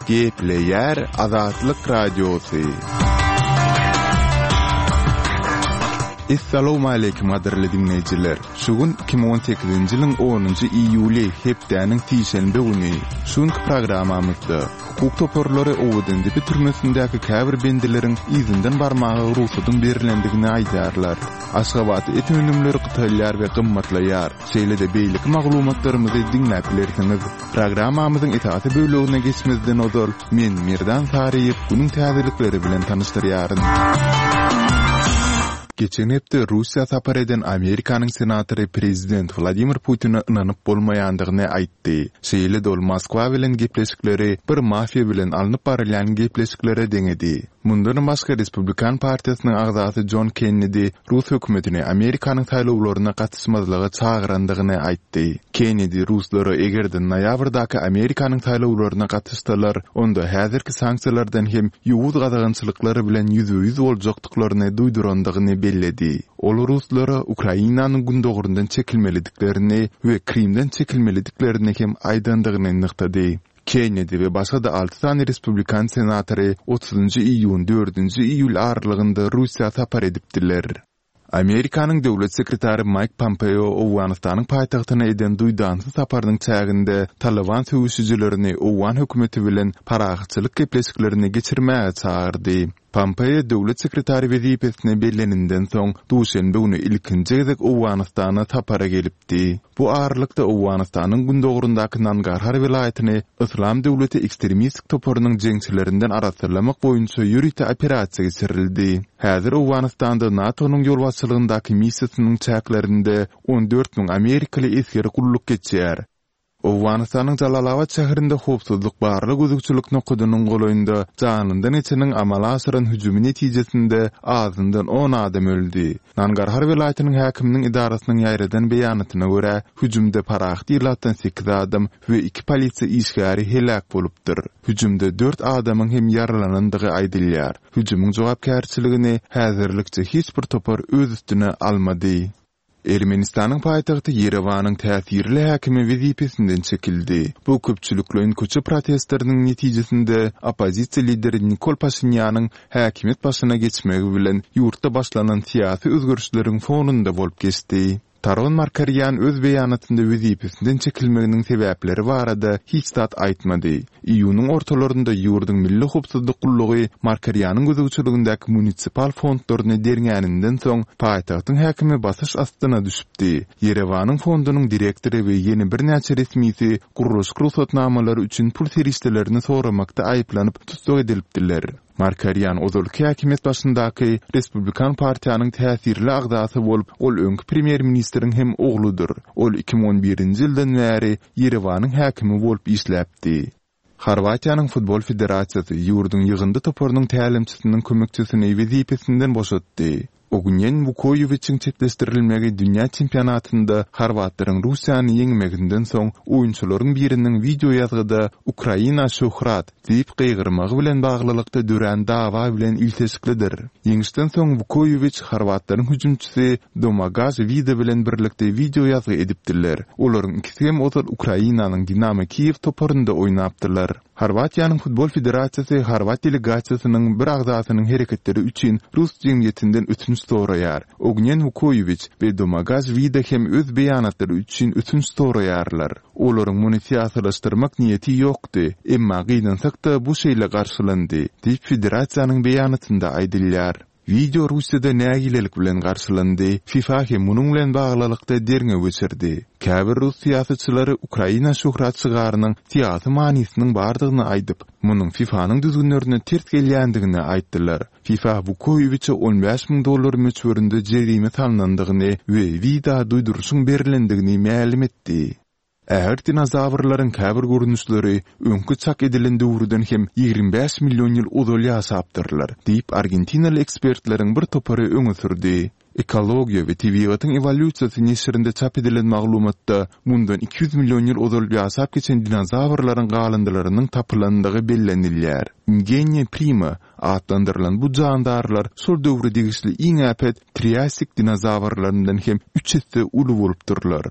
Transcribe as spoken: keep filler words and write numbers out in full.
Gepleýär Azatlyk Radiosy. Essalawmaleýkim gadyrly diňleýjiler! Şu gün iki müň on sekizinji ýylyň onunjy iýuly, hepdäniň sişenbe güni. Şu günki programmamyzda, hukuk toparlary Owadandepe türmesindäki käbir bendileriň yzyndan barmaga rugsadyň berlendigini aýdýarlar. Aşgabatda et önümleri gytalýar we gymmatlaýar. Şeýle-de beýleki maglumatlarymyzy diňläp bilersiňiz. Programmamyzyň esasy bölegine geçmezden ozal, men, Merdan Saryýew, günüň täzelikleri bilen tanyşdyrýaryn. Geçen hepde Russiýa sapar eden Amerikanyň senatory prezident Wladimir Putine ynanyp bolmaýandygyny aýtdy. Şeýle-de ol Moskwa bilen gepleşikleri bir mafiýa bilen alnyp barylýan gepleşiklere deňedi. Mundanam başga Respublikan partiýasynyň agzasy Jon Kennedi rus hökümetini Amerikanyň saýlawlaryna gatyşmazlyga çagyrandygyny aýtdy. Kennedi ruslara eger-de noýabrdaky Amerikanyň saýlawlaryna gatyşsalar, onda häzirki sanksiýalardan hem ýowuz gadagançylyklar bilen ýüzbe-ýüz boljakdyklaryny duýdurandygyny belledi. Ol ruslara Ukrainanyň gündogaryndan çekilmelidiklerini we Krymdan çekilmelidiklerini hem aýdandygyny nygtady. Kennedi we başga-da alty sany respublikan senatory otuzynjy iýun, dördünji iýul aralygynda Russiýa sapar edipdiler. Amerikanyň döwlet sekretary Maýk Pompeo Owganystanyň paýtagtyna eden duýdansyz saparynyň çäginde Talyban söweşijilerini owgan hökümeti bilen parahatçylyk gepleşiklerini geçirmäge çagyrdy. Pompeo döwlet sekretary wezipesine belleninden soň, duşenbe güni ilkinji gezek Owganystana sapara gelipdi. Bu aralykda, Owganystanyň gündogaryndaky Nangarhar welaýatyny Yslam döwleti ekstremistik toparynyň jeňçilerinden arassalamak boýunça ýörite operasiýa geçirildi. Häzir Owganystanda NATO-nyň ýolbaşçylygyndaky missiýasynyň çäklerinde on dört müň amerikaly esger gulluk geçýär. Owganystanyň Jalalabat şäherinde howpsuzlyk barlag-gözegçilik nokadynyň golaýynda janyndan geçeniň amala aşyran hüjümi netijesinde azyndan on adam öldi. Nangarhar welaýatynyň häkiminiň edarasynyň ýaýradan beýanatyna görä, hüjümde parahat ilatdan sekiz adam we iki polisiýa işgäri heläk bolupdyr. Hüjümde dört adamyň hem ýaralanandygy aýdylýar. Hüjümiň jogapkärçiligini häzirlikçe hiç bir topar öz üstüne almady. Ermenistanyň paýtagty Ýerewanyň täsirli häkimi wezipesinden çekildi. Bu köpçülikleýin köçe protestleriniň netijesinde oppozisiýa lideri Nikol Paşinýanyň häkimiýet başyna geçmegi bilen ýurtda başlanan syýasy özgerişleriň fonunda bolup geçdi. Taron Markarýan öz beýanatynda wezipesinden çekilmeginiň sebäpleri barada hiç zat aýtmady. Iýunyň ortalarynda ýurduň Milli howpsuzlyk gullugy Markarýanyň gözegçiligindäki munisipal fondlaryny derňäninden soň, paýtagtyň häkimi basyş astyna düşüpdi. Ýerewanyň fondunyň direktory we ýene birnäçe resmisi gurluşyk rugsatnamalary üçin pul serişdelerini soramakda aýyplanyp tussag edilipdiler. Markarýan ozalky häkimiýet başyndaky Respublikan partiýanyň täsirli agzasy bolup, ol öňki premýer-ministriň hem ogludyr. Ol iki müň on birinji ýyldan bäri Ýerewanyň häkimi bolup işläpdi. Horwatiýanyň futbol federasiýasy ýurduň ýygyndy toparynyň tälimçisiniň kömekçisini wezipesinden boşatdy. Ognýen Wukoýewiçiň çetleşdirilmegi dünýä çempionatynda horwatlaryň Russiýany ýeňmeginden soň oýunçylaryň biriniň wideoýazgyda Ukraina şöhrat! diýip gygyrmagy bilen baglylykda dörän dawa bilen ilteşiklidir. Ýeňişden soň Wukoýewiç horwatlaryň hüjümçisi Domagaj Wida bilen birlikde wideoýazgy edipdiler. Olaryň ikisi hem ozal Ukrainanyň Dinamo Kiýew toparynda oýnapdylar. Horwatiýanyň futbol federasiýasy horwat delegasiýasynyň bir agzasynyň hereketleri üçin rus jemgyýetinden ötünç soraýar. Ognýen Wukoýewiç we Domagaj Wida hem öz beýanatlary üçin ötünç soraýarlar. Olaryň muny syýasylaşdyrmak niýeti ýokdy, emma gynansak-da bu şeýle garşylandy, diýip federasiýanyň beýanatynda aýdylýar. Wideo Russiýada nägilelik bilen garşylandy, FIFA hem munuň bilen baglylykda derňew geçirdi. Käbir rus syýasatçylary Ukraina şöhrat şygarynyň syýasy manysynyň bardygyny aýdyp, munuň FIFA-nyň düzgünlerine ters gelýändigini aýtdylar. FIFA Wukoýewiçe on bäş müň dollar möçberinde jerime salnandygyny we Wida duýduryşyň berlendigini mälim etdi. Ägirt dinozawrlaryň käbir görnüşleri öňki çak edilen döwürden hem ýigrimi bäş million ýyl ozal ýaşapdyrlar, diýip, argentinaly ekspertleriň bir topary öňe sürdi. Ekologiýa we tebigatyň ewolýusiýasy neşirinde çap edilen maglumatda mundan iki ýüz million ýyl ozal ýaşap geçen dinozawrlaryň galyndylarynyň tapylandygy bellenilýär. Ingenia prima atlandyrylan bu jandarlar şol döwre degişli iň äpet triasik dinozawrlaryndan hem üç esse uly bolupdyrlar.